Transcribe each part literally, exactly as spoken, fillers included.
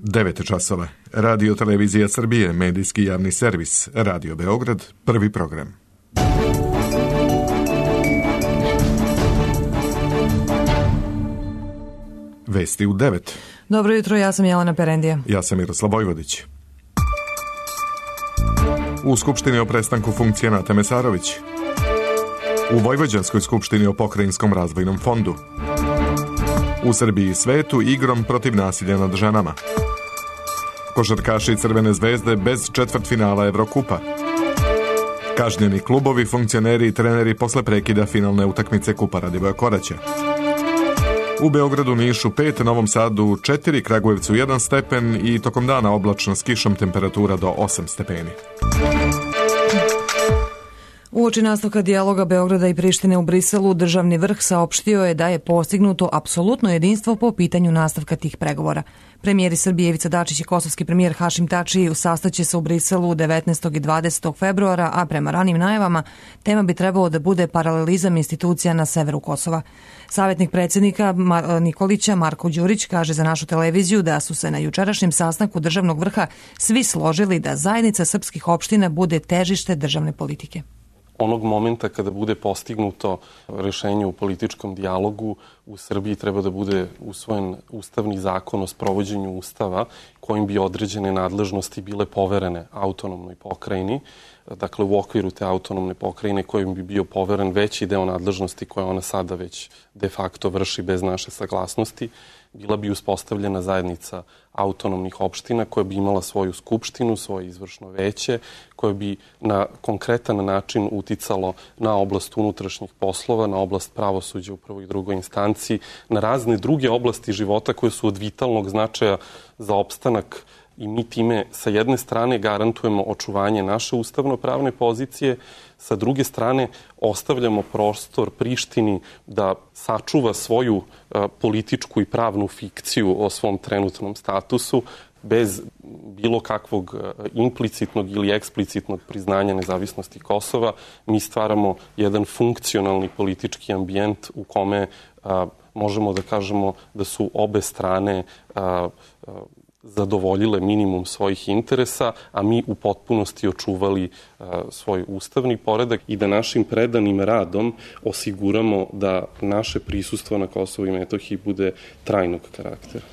devet časova. Radio Televizija Srbije, medijski javni servis, Radio Beograd, prvi program. Vesti u devet. Dobro jutro, ja sam Jelena Perendija. Ja sam Miroslav Vojvodić. U Skupštini o prestanku funkcije Nate Mesarović. U Vojvođanskoj skupštini o Pokrajinskom razvojnom fondu. U Srbiji i svetu igrom protiv nasilja nad ženama. Košarkaši Crvene zvezde bez četvrtfinala Evrokupa. Kažnjeni klubovi, funkcioneri i treneri posle prekida finalne utakmice Kupa Radivoja Koraća. U Beogradu, Nišu pet, Novom Sadu četiri, Kragujevcu jedan stepen i tokom dana oblačno s kišom, temperatura do osam stepeni. Uoči nastavka dijaloga Beograda i Prištine u Briselu, državni vrh saopštio je da je postignuto apsolutno jedinstvo po pitanju nastavka tih pregovora. Premijeri Srbije Ivica Dačić i kosovski premijer Hašim Tači sastaće se u Briselu devetnaestog i dvadesetog februara, a prema ranim najavama tema bi trebalo da bude paralelizam institucija na severu Kosova. Savjetnik predsjednika Nikolića Marko Đurić kaže za našu televiziju da su se na jučerašnjem sastanku državnog vrha svi složili da zajednica srpskih opština bude težište državne politike. Onog momenta kada bude postignuto rešenje u političkom dijalogu, u Srbiji treba da bude usvojen ustavni zakon o sprovođenju ustava kojim bi određene nadležnosti bile poverene autonomnoj pokrajini. Dakle, u okviru te autonomne pokrajine kojim bi bio poveren veći deo nadležnosti koje ona sada već de facto vrši bez naše saglasnosti, bila bi uspostavljena zajednica autonomnih opština koja bi imala svoju skupštinu, svoje izvršno veće, koje bi na konkretan način uticalo na oblast unutrašnjih poslova, na oblast pravosuđa u prvoj i drugoj instanciji, na razne druge oblasti života koje su od vitalnog značaja za opstanak. I mi time sa jedne strane garantujemo očuvanje naše ustavno-pravne pozicije, sa druge strane ostavljamo prostor Prištini da sačuva svoju a, političku i pravnu fikciju o svom trenutnom statusu bez bilo kakvog a, implicitnog ili eksplicitnog priznanja nezavisnosti Kosova. Mi stvaramo jedan funkcionalni politički ambijent u kome a, možemo da kažemo da su obe strane a, a, zadovoljile minimum svojih interesa, a mi u potpunosti očuvali uh, svoj ustavni poredak i da našim predanim radom osiguramo da naše prisustvo na Kosovu i Metohiji bude trajnog karaktera.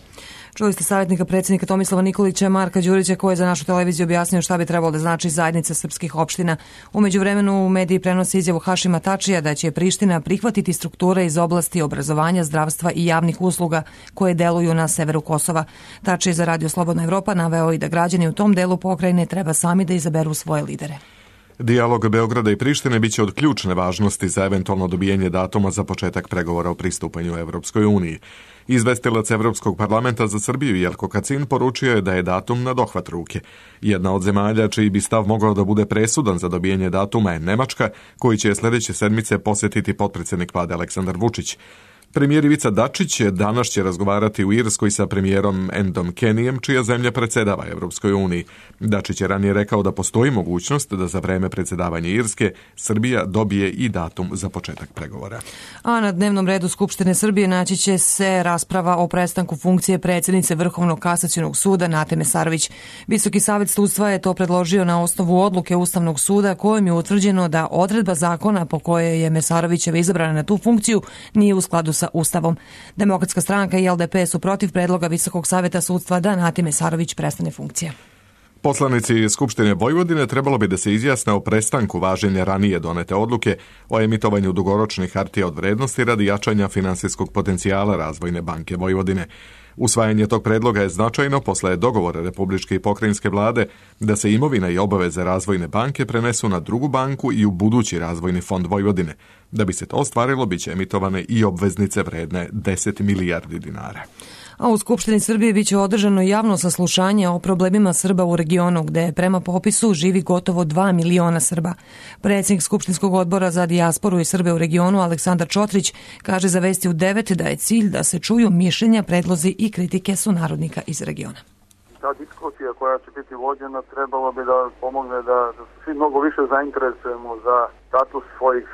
Čuli ste savjetnika predsjednika Tomislava Nikolića, Marka Đurića, koji je za našu televiziju objasnio šta bi trebalo da znači zajednica srpskih opština. U međuvremenu u mediji prenosi izjavu Hašima Tačija da će Priština prihvatiti strukture iz oblasti obrazovanja, zdravstva i javnih usluga koje deluju na severu Kosova. Tačija za Radio Slobodna Evropa naveo i da građani u tom delu pokrajine treba sami da izaberu svoje lidere. Dijalog Beograda i Prištine biće od ključne važnosti za eventualno dobijanje datuma za početak pregovora o pristupanju Evropskoj uniji. Izvestilac Evropskog parlamenta za Srbiju Jelko Kacin poručio je da je datum na dohvat ruke. Jedna od zemalja čiji bi stav mogao da bude presudan za dobijanje datuma je Nemačka, koji će sljedeće sedmice posjetiti potpredsjednik vlade Aleksandar Vučić. Premijer Ivica Dačić danas će razgovarati u Irskoj sa premijerom Endom Kenijem, čija zemlja predsjedava Evropskoj uniji. Dačić je ranije rekao da postoji mogućnost da za vreme predsjedavanja Irske Srbija dobije i datum za početak pregovora. A na dnevnom redu Skupštine Srbije naći će se rasprava o prestanku funkcije predsjednice Vrhovnog kasacionog suda Nate Mesarović. Visoki savet sudstva je to predložio na osnovu odluke Ustavnog suda kojom je utvrđeno da odredba zakona po kojoj je Mesarovićeva izabrana na tu funkciju nije u skladu sa Ustavom. Demokratska stranka i L D P su protiv predloga Visokog saveta sudstva da Nati Mesarović prestane funkcija. Poslanici Skupštine Vojvodine trebalo bi da se izjasne o prestanku važenja ranije donete odluke o emitovanju dugoročnih hartija od vrednosti radi jačanja finansijskog potencijala Razvojne banke Vojvodine. Usvajanje tog predloga je značajno posle dogovora Republičke i pokrajinske vlade da se imovina i obaveze Razvojne banke prenesu na drugu banku i u budući Razvojni fond Vojvodine. Da bi se to ostvarilo, biće emitovane i obveznice vredne deset milijardi dinara. A u Skupštini Srbije biće održano javno saslušanje o problemima Srba u regionu, gde prema popisu živi gotovo dva miliona Srba. Predsjednik Skupštinskog odbora za dijasporu i Srbe u regionu Aleksandar Čotrić kaže za Vesti u devet da je cilj da se čuju mišljenja, predlozi i kritike sunarodnika iz regiona. Ta diskusija koja će biti vođena trebalo bi da pomogne da, da svi mnogo više zainteresujemo za status svojih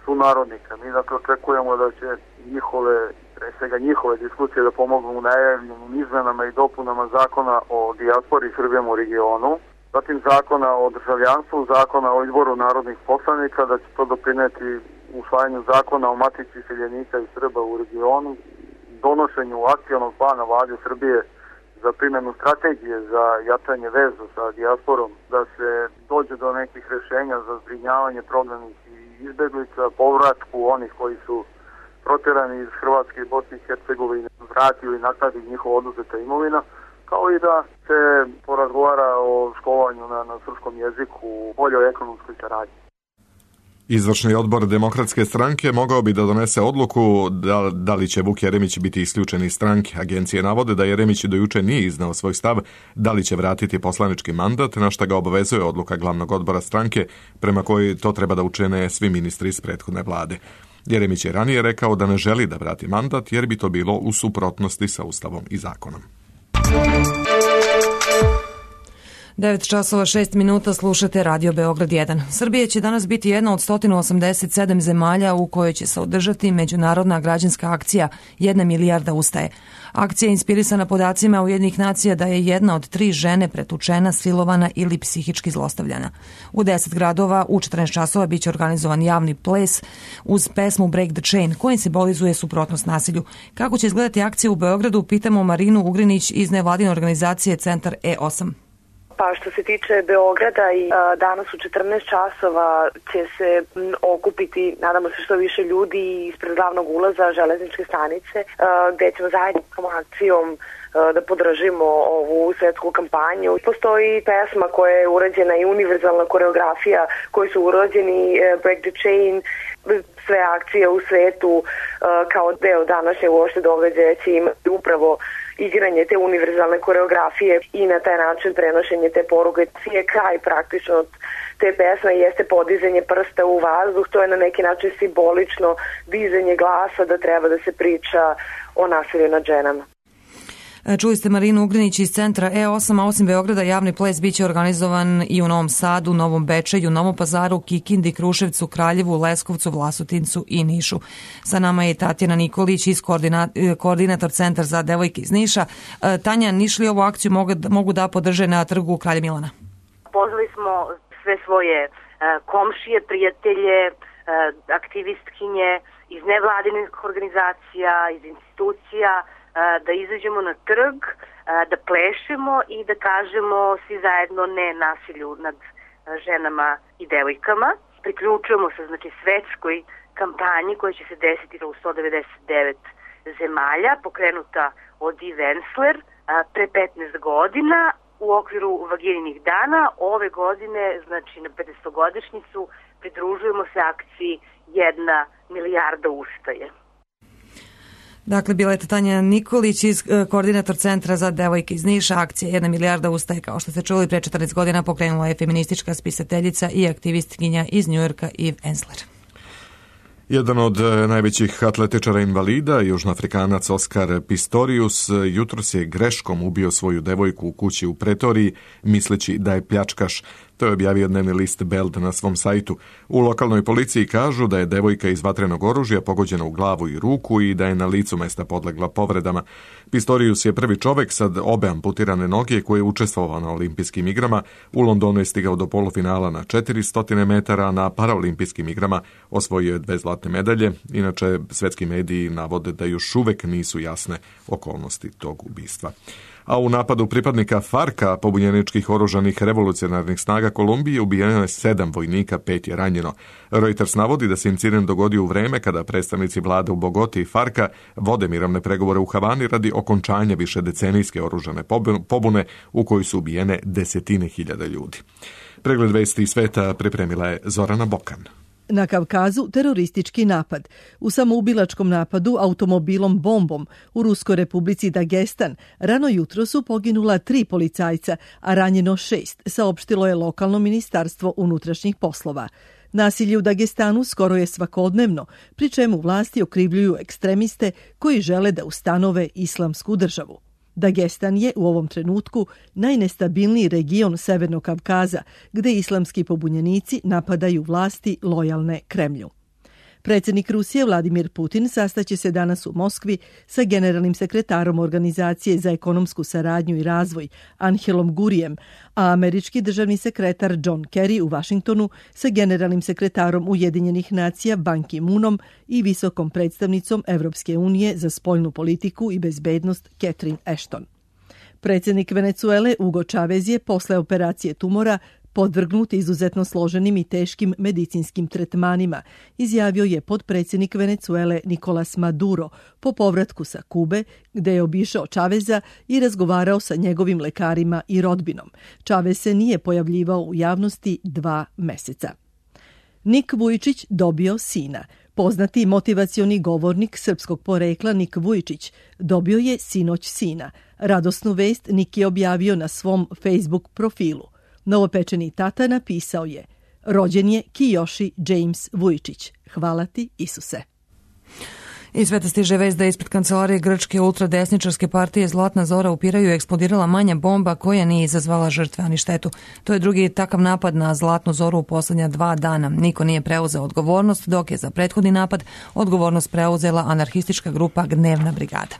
sunarodnika. Mi dakle očekujemo da će njihove pre svega njihove diskusije da pomognu u najavljenim izmenama i dopunama zakona o dijaspori Srbijama u regionu, zatim zakona o državljanstvu, zakona o izboru narodnih poslanika, da će to doprineti usvajanju zakona o matici iseljenika i Srba u regionu, donošenju akcionog plana Vlade Srbije za primjenu strategije za jačanje veza sa dijasporom, da se dođe do nekih rešenja za zbrinjavanje prognanih i izbeglica, povratku onih koji su proterani iz Hrvatske i Bosne i Hercegovine, vrati ili naknadi njihova oduzeta imovina, kao i da se porazgovara o školovanju na, na srpskom jeziku, boljoj ekonomskoj saradnji. Izvršni odbor Demokratske stranke mogao bi da donese odluku da, da li će Vuk Jeremić biti isključen iz stranke. Agencije navode da Jeremić do juče nije iznao svoj stav da li će vratiti poslanički mandat, na šta ga obavezuje odluka glavnog odbora stranke, prema kojoj to treba da učine svi ministri iz prethodne vlade. Jeremić je ranije rekao da ne želi da vrati mandat jer bi to bilo u suprotnosti sa Ustavom i zakonom. devet časova šest minuta, slušate Radio Beograd jedan. Srbija će danas biti jedna od sto osamdeset sedam zemalja u kojoj će se održati međunarodna građanska akcija Jedna milijarda ustaje. Akcija je inspirisana podacima Ujedinjenih nacija da je jedna od tri žene pretučena, silovana ili psihički zlostavljana. U deset gradova u četrnaest časova biće organizovan javni ples uz pesmu Break the Chain, koji simbolizuje suprotnost nasilju. Kako će izgledati akcija u Beogradu, pitamo Marinu Ugrinić iz nevladine organizacije Centar E osam. Pa što se tiče Beograda, i a, danas u četrnaest časova će se m, okupiti, nadamo se, što više ljudi ispred glavnog ulaza železničke stanice, a, gde ćemo zajedničkom akcijom a, da podržimo ovu svetsku kampanju. Postoji pesma koja je urađena i univerzalna koreografija koji su urađeni a, Break the Chain. Sve akcije u svetu a, kao deo današnje uopšte događaja će imati upravo igranje te univerzalne koreografije i na taj način prenošenje te poruke. Cije kraj praktično te pesme jeste podizanje prsta u vazduh, to je na neki način simbolično dizanje glasa da treba da se priča o nasilju nad ženama. Čuli ste Marinu Ugrinić iz Centra E osam, a osim Beograda javni ples biće organizovan i u Novom Sadu, Novom Bečeju, Novom Pazaru, Kikindi, Kruševcu, Kraljevu, Leskovcu, Vlasotincu i Nišu. Sa nama je Tatjana Nikolić iz koordina, koordinator Centar za devojke iz Niša. Tanja, Nišli ovu akciju mogu, mogu da podrže na trgu Kralja Milana? Pozvali smo sve svoje komšije, prijatelje, aktivistkinje iz nevladinih organizacija, iz institucija, da izađemo na trg, da plešemo i da kažemo svi zajedno ne nasilju nad ženama i devojkama. Priključujemo se znači svetskoj kampanji koja će se desiti u sto devedeset devet zemalja, pokrenuta od Eve Ensler pre petnaest godina u okviru Vagininih dana. Ove godine, znači na pedesetogodišnjicu, pridružujemo se akciji Jedna milijarda ustaje. Dakle, bila je Tanja Nikolić, iz, koordinator Centra za devojke iz Niša. Akcija Jedna milijarda ustaje, kao što ste čuli, pre četrnaest godina pokrenula je feministička spisateljica i aktivistkinja iz Njujorka Eve Ensler. Jedan od najvećih atletičara invalida, južnoafrikanac Oskar Pistorius, jutros je greškom ubio svoju devojku u kući u Pretoriji, misleći da je pljačkaš. To je objavio dnevni list Beld na svom sajtu. U lokalnoj policiji kažu da je devojka iz vatrenog oružja pogođena u glavu i ruku i da je na licu mesta podlegla povredama. Pistorius je prvi čovek sa obe amputirane noge koji je učestvovao na olimpijskim igrama. U Londonu je stigao do polufinala na četiristo metara, a na paraolimpijskim igrama osvojio je dve zlatne medalje. Inače, svetski mediji navode da još uvek nisu jasne okolnosti tog ubistva. A u napadu pripadnika Farka, pobunjeničkih oružanih revolucionarnih snaga Kolumbije, ubijeno je sedam vojnika, pet je ranjeno. Reuters navodi da se incident dogodio u vreme kada predstavnici vlade u Bogoti i Farka vode mirovne pregovore u Havani radi okončanja višedecenijske oružane pobune u kojoj su ubijene desetine hiljada ljudi. Pregled vesti sveta pripremila je Zorana Bokan. Na Kavkazu teroristički napad. U samoubilačkom napadu automobilom bombom u Ruskoj republici Dagestan rano jutro su poginula tri policajca, a ranjeno šest, saopštilo je lokalno ministarstvo unutrašnjih poslova. Nasilje u Dagestanu skoro je svakodnevno, pri čemu vlasti okrivljuju ekstremiste koji žele da ustanove islamsku državu. Dagestan je u ovom trenutku najnestabilniji region Severnog Kavkaza, gde islamski pobunjenici napadaju vlasti lojalne Kremlju. Predsjednik Rusije Vladimir Putin sastaće se danas u Moskvi sa generalnim sekretarom Organizacije za ekonomsku saradnju i razvoj Anhelom Gurijem, a američki državni sekretar John Kerry u Vašingtonu sa generalnim sekretarom Ujedinjenih nacija Ban Ki-moonom i visokom predstavnicom Evropske unije za spoljnu politiku i bezbednost Catherine Ashton. Predsjednik Venecuele Hugo Chavez je posle operacije tumora podvrgnut izuzetno složenim i teškim medicinskim tretmanima, izjavio je potpredsjednik Venecuele Nicolas Maduro po povratku sa Kube, gde je obišao Chaveza i razgovarao sa njegovim lekarima i rodbinom. Chavez se nije pojavljivao u javnosti dva meseca. Nik Vujčić dobio sina. Poznati motivacioni govornik srpskog porekla Nik Vujčić dobio je sinoć sina. Radosnu vest Nik je objavio na svom Facebook profilu. Novopečeni tata napisao je: rođen je Kiyoshi James Vujčić. Hvala ti, Isuse. I sveta stiže vest da ispred kancelarije grčke ultradesničarske partije Zlatna Zora u Piraju eksplodirala manja bomba koja nije izazvala žrtve ani štetu. To je drugi takav napad na Zlatnu Zoru u posljednja dva dana. Niko nije preuzeo odgovornost, dok je za prethodni napad odgovornost preuzela anarhistička grupa Gnevna brigada.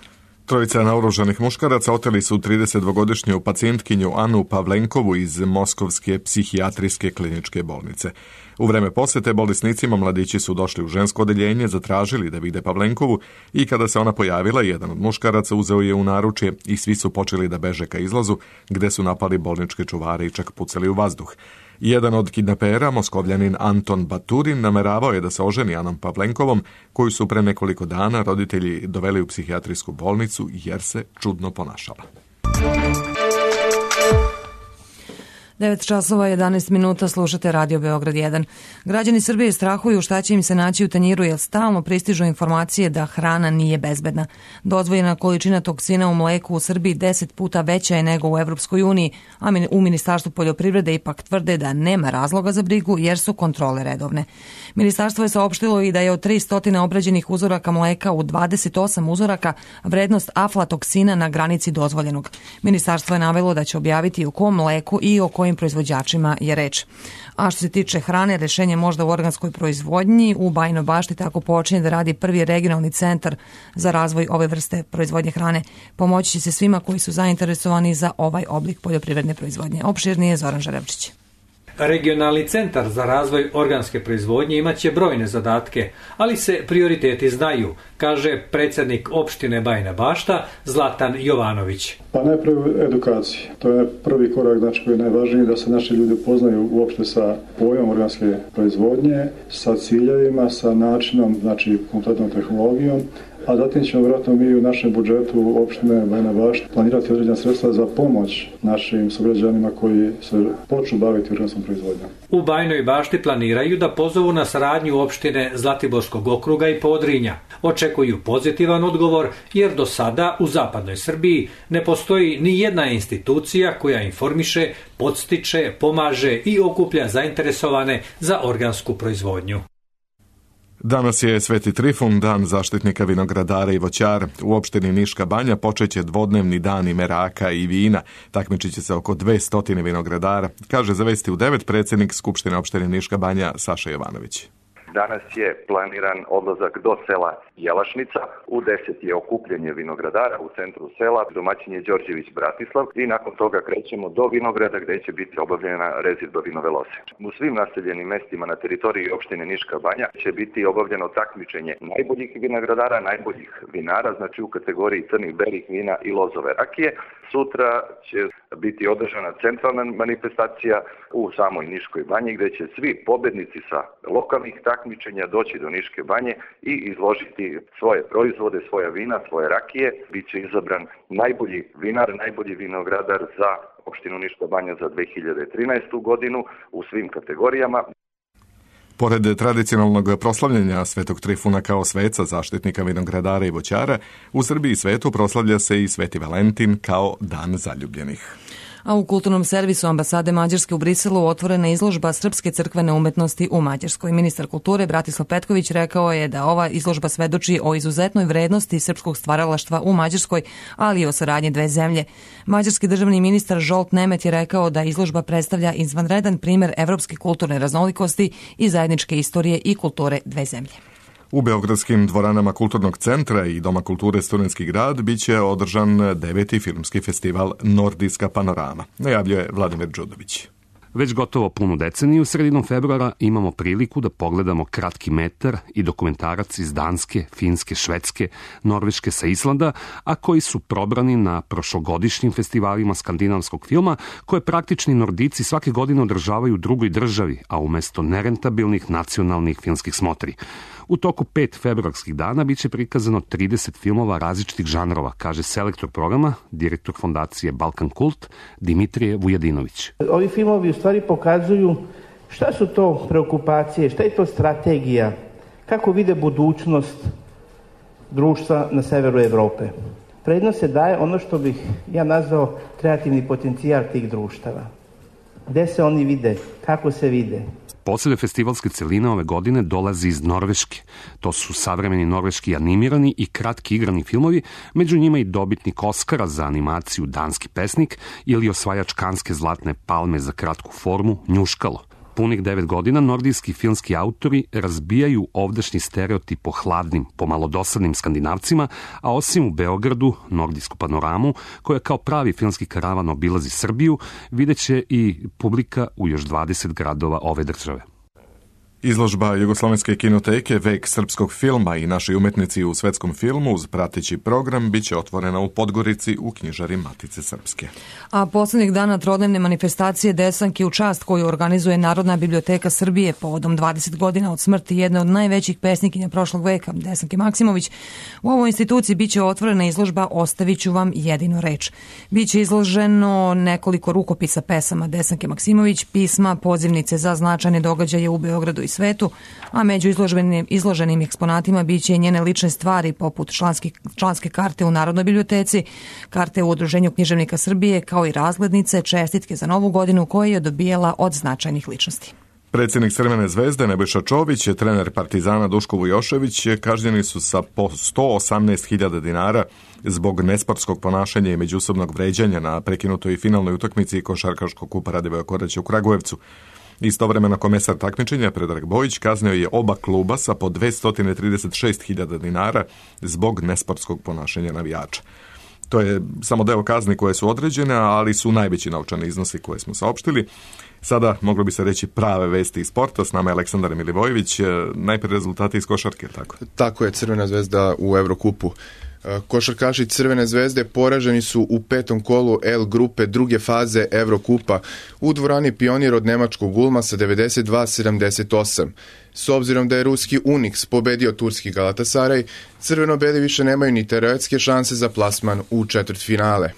Trojica naoružanih muškaraca oteli su tridesetdvogodišnju pacijentkinju Anu Pavlenkovu iz Moskovske psihijatrijske kliničke bolnice. U vreme posjete bolesnicima mladići su došli u žensko odeljenje, zatražili da vide Pavlenkovu i kada se ona pojavila, jedan od muškaraca uzeo je u naručje i svi su počeli da beže ka izlazu, gde su napali bolničke čuvare i čak pucali u vazduh. Jedan od kidnapera, moskovljanin Anton Baturin, nameravao je da se oženi Anom Pavlenkovom, koju su pre nekoliko dana roditelji doveli u psihijatrijsku bolnicu jer se čudno ponašala. devet časova jedanaest minuta, slušate Radio Beograd jedan. Građani Srbije strahuju šta će im se naći u tanjiru jer stalno pristižu informacije da hrana nije bezbedna. Dozvoljena količina toksina u mleku u Srbiji deset puta veća je nego u Evropskoj uniji, a u Ministarstvu poljoprivrede ipak tvrde da nema razloga za brigu jer su kontrole redovne. Ministarstvo je saopštilo i da je od tristo obrađenih uzoraka mleka u dvadeset osam uzoraka vrednost aflatoksina na granici dozvoljenog. Ministarstvo je navelo da će objaviti o kom mleku i o kojim proizvođačima je reč. A što se tiče hrane, rešenje možda u organskoj proizvodnji. U Bajinoj Bašti tako počinje da radi prvi regionalni centar za razvoj ove vrste proizvodnje hrane. Pomoći će se svima koji su zainteresovani za ovaj oblik poljoprivredne proizvodnje. Opširnije Zoran Žarevčić. Regionalni centar za razvoj organske proizvodnje imaće brojne zadatke, ali se prioriteti znaju, kaže predsjednik opštine Bajina Bašta Zlatan Jovanović. Pa najprije edukacija. To je prvi korak, znači koji je najvažniji, da se naši ljudi upoznaju uopšte sa pojmom organske proizvodnje, sa ciljevima, sa načinom, znači kompletnom tehnologijom, a zatim ćemo vjerojatno mi u našem budžetu opštine Bajina Bašta planirati određena sredstva za pomoć našim sugrađanima koji se počnu baviti organskom proizvodnjom. U Bajinoj Bašti planiraju da pozovu na saradnju opštine Zlatiborskog okruga i Podrinja. Očekuju pozitivan odgovor jer do sada u zapadnoj Srbiji ne postoji ni jedna institucija koja informiše, podstiče, pomaže i okuplja zainteresovane za organsku proizvodnju. Danas je Sveti Trifun, dan zaštitnika vinogradara i voćara. U opštini Niška Banja počeće dvodnevni dani meraka i vina. Takmičit će se oko dvesta vinogradara, kaže za Vesti u devet predsjednik Skupštine opštine Niška Banja Saša Jovanović. Danas je planiran odlazak do sela Jelašnica, u deset je okupljanje vinogradara u centru sela, domaćin je Đorđević Bratislav i nakon toga krećemo do vinograda gdje će biti obavljena rezidba vinove loze. U svim naseljenim mestima na teritoriji opštine Niška Banja će biti obavljeno takmičenje najboljih vinogradara, najboljih vinara, znači u kategoriji crnih belih vina i lozove rakije. Sutra će biti održana centralna manifestacija u samoj Niškoj Banji gdje će svi pobednici sa lokalnih takmičenja doći do Niške Banje i izložiti svoje proizvode, svoja vina, svoje rakije. Biće izabran najbolji vinar, najbolji vinogradar za opštinu Niška Banja za dve hiljade trinaestu godinu u svim kategorijama. Pored tradicionalnog proslavljanja Svetog Trifuna kao sveca, zaštitnika vinogradara i voćara, u Srbiji i svetu proslavlja se i Sveti Valentin kao dan zaljubljenih. A u kulturnom servisu ambasade Mađarske u Briselu otvorena izložba srpske crkvene umetnosti u Mađarskoj. Ministar kulture Bratislav Petković rekao je da ova izložba svedoči o izuzetnoj vrednosti srpskog stvaralaštva u Mađarskoj, ali i o saradnji dve zemlje. Mađarski državni ministar Zsolt Nemet je rekao da izložba predstavlja izvanredan primer evropske kulturne raznolikosti i zajedničke istorije i kulture dve zemlje. U beogradskim dvoranama Kulturnog centra i Doma kulture Studentski grad biće održan deveti filmski festival Nordijska panorama, najavljuje Vladimir Đudović. Već gotovo punu deceniju, sredinom februara, imamo priliku da pogledamo kratki metar i dokumentarac iz Danske, Finske, Švedske, Norveške sa Islanda, a koji su probrani na prošlogodišnjim festivalima skandinavskog filma, koje praktični Nordici svake godine održavaju u drugoj državi, a umesto nerentabilnih nacionalnih filmskih smotri. U toku pet februarskih dana biće prikazano trideset filmova različitih žanrova, kaže selektor programa, direktor fondacije Balkan Kult, Dimitrije Vujadinović. Ovi filmovi u stvari pokazuju šta su to preokupacije, šta je to strategija, kako vide budućnost društva na severu Evrope. Prednost se daje ono što bih ja nazvao kreativni potencijal tih društava. Gde se oni vide, kako se vide. Posebne festivalske celine ove godine dolazi iz Norveške. To su savremeni norveški animirani i kratki igrani filmovi, među njima i dobitnik Oskara za animaciju Danski pesnik ili osvajač Kanske zlatne palme za kratku formu Njuškalo. Punih devet godina nordijski filmski autori razbijaju ovdašnji stereotip o hladnim, pomalo dosadnim Skandinavcima, a osim u Beogradu, Nordijsku panoramu, koja kao pravi filmski karavan obilazi Srbiju, videće i publika u još dvadeset gradova ove države. Izložba Jugoslovenske kinoteke Vek srpskog filma i naši umetnici u svetskom filmu uz prateći program biće otvorena u Podgorici u knjižari Matice Srpske. A poslednjih dana trodnevne manifestacije Desanke u čast koju organizuje Narodna biblioteka Srbije povodom dvadeset godina od smrti jedne od najvećih pesnikinja prošlog veka, Desanke Maksimović, u ovoj instituciji biće otvorena izložba Ostaviću vam jedinu reč. Biće izloženo nekoliko rukopisa pesama Desanke Maksimović, pisma, pozivnice za značajne događaje u Beogradu i svetu, a među izloženim, izloženim eksponatima biće i njene lične stvari poput članski, članske karte u Narodnoj biblioteci, karte u Udruženju književnika Srbije, kao i razglednice, čestitke za novu godinu koje je dobijala od značajnih ličnosti. Predsjednik Crvene zvezde Nebojša Čović, trener Partizana Duško Vujošević kažnjeni su sa po sto osamnaest hiljada dinara zbog nesportskog ponašanja i međusobnog vređanja na prekinutoj finalnoj utakmici košarkaškog kupa Radivoja Koraća u Kragujevcu. Istovremeno komesar takmičenja Predrag Bojić kaznio je oba kluba sa po dvesta trideset šest hiljada dinara zbog nesportskog ponašanja navijača. To je samo deo kazni koje su određene, ali su najveći novčani iznosi koje smo saopštili. Sada moglo bi se reći prave vesti iz sporta. S nama je Aleksandar Milivojević. Najprije rezultati iz košarke, tako? Tako je, Crvena zvezda u Evrokupu. Košarkaši Crvene zvezde poraženi su u petom kolu L grupe druge faze Evrokupa u dvorani Pionir od nemačkog Ulma sa devedeset dva sedamdeset osam. S obzirom da je ruski Unix pobedio turski Galatasaraj, crveno-beli više nemaju ni teoretske šanse za plasman u četvrtfinale.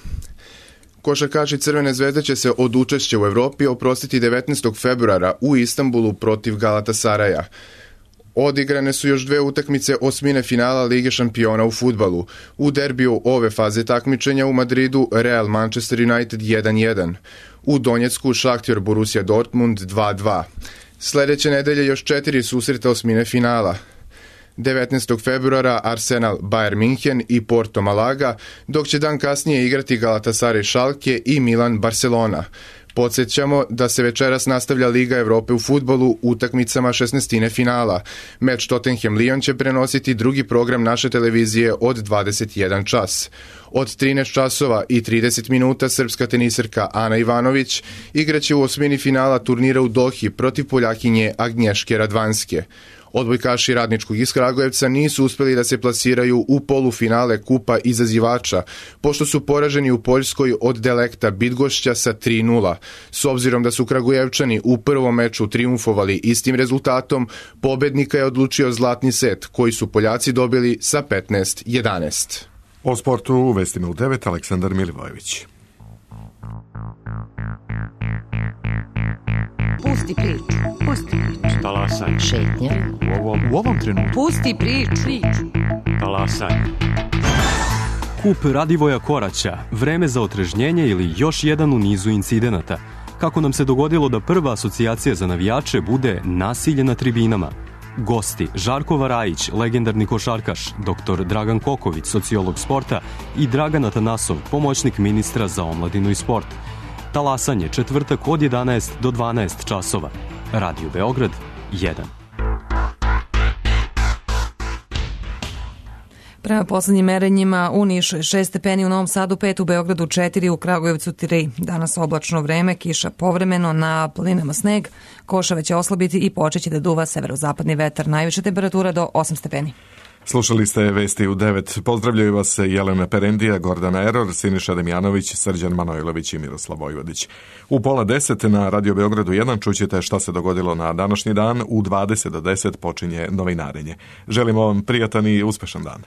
Košarkaši Crvene zvezde će se od učešća u Evropi oprostiti devetnaestog februara u Istanbulu protiv Galatasaraja. Odigrane su još dve utakmice osmine finala Lige šampiona u fudbalu. U derbiju ove faze takmičenja u Madridu Real Manchester United jedan jedan. U Donjecku Šahtjor Borussia Dortmund dva dva. Sledeće nedelje još četiri susreta osmine finala. devetnaestog februara Arsenal Bayern Minhen i Porto Malaga, dok će dan kasnije igrati Galatasaray Schalke i Milan Barcelona. Podsjećamo da se večeras nastavlja Liga Evrope u fudbalu utakmicama šesnaestine finala. Meč Tottenham-Lyon će prenositi drugi program naše televizije od dvadeset jedan čas. Od trinaest časova i trideset minuta srpska teniserka Ana Ivanović igraće u osmini finala turnira u Dohi protiv Poljakinje Agnješke Radvanske. Odbojkaši Radničkog iz Kragujevca nisu uspeli da se plasiraju u polufinale Kupa izazivača, pošto su poraženi u Poljskoj od Delekta Bidgošća sa tri nula. S obzirom da su Kragujevčani u prvom meču triumfovali istim rezultatom, pobednika je odlučio zlatni set, koji su Poljaci dobili sa petnaest jedanaest. O sportu u vestima u devet Aleksandar Milivojević. Pusti priču, pusti priču. Talasaj. Šetnja. U ovom, u ovom trenutku. Pusti priču. Talasaj. Kup Radivoja Koraća, vreme za otrežnjenje ili još jedan u nizu incidenata. Kako nam se dogodilo da prva asocijacija za navijače bude nasilje na tribinama. Gosti Žarko Varajić, legendarni košarkaš, doktor Dragan Koković, sociolog sporta i Dragan Atanasov, pomoćnik ministra za omladinu i sport. Talasanje četvrtak od jedanaest do dvanaest časova. Radio Beograd jedan. Prema poslednjim merenjima u Nišu je šest stepeni, u Novom Sadu pet, u Beogradu četiri, u Kragujevcu tri. Danas oblačno vreme, kiša povremeno, na planinama sneg, košave će oslabiti i počeće da duva severozapadni vetar. Najviša temperatura do osam stepeni. Slušali ste vesti u devet. Pozdravljaju vas Jelena Perendija, Gordana Eror, Siniša Demjanović, Srđan Manojlović i Miroslav Vojvodić. U pola deset na Radio Beogradu jedan čućete šta se dogodilo na današnji dan. U dvadeset do deset počinje novinarenje. Želimo vam prijatan i uspešan dan.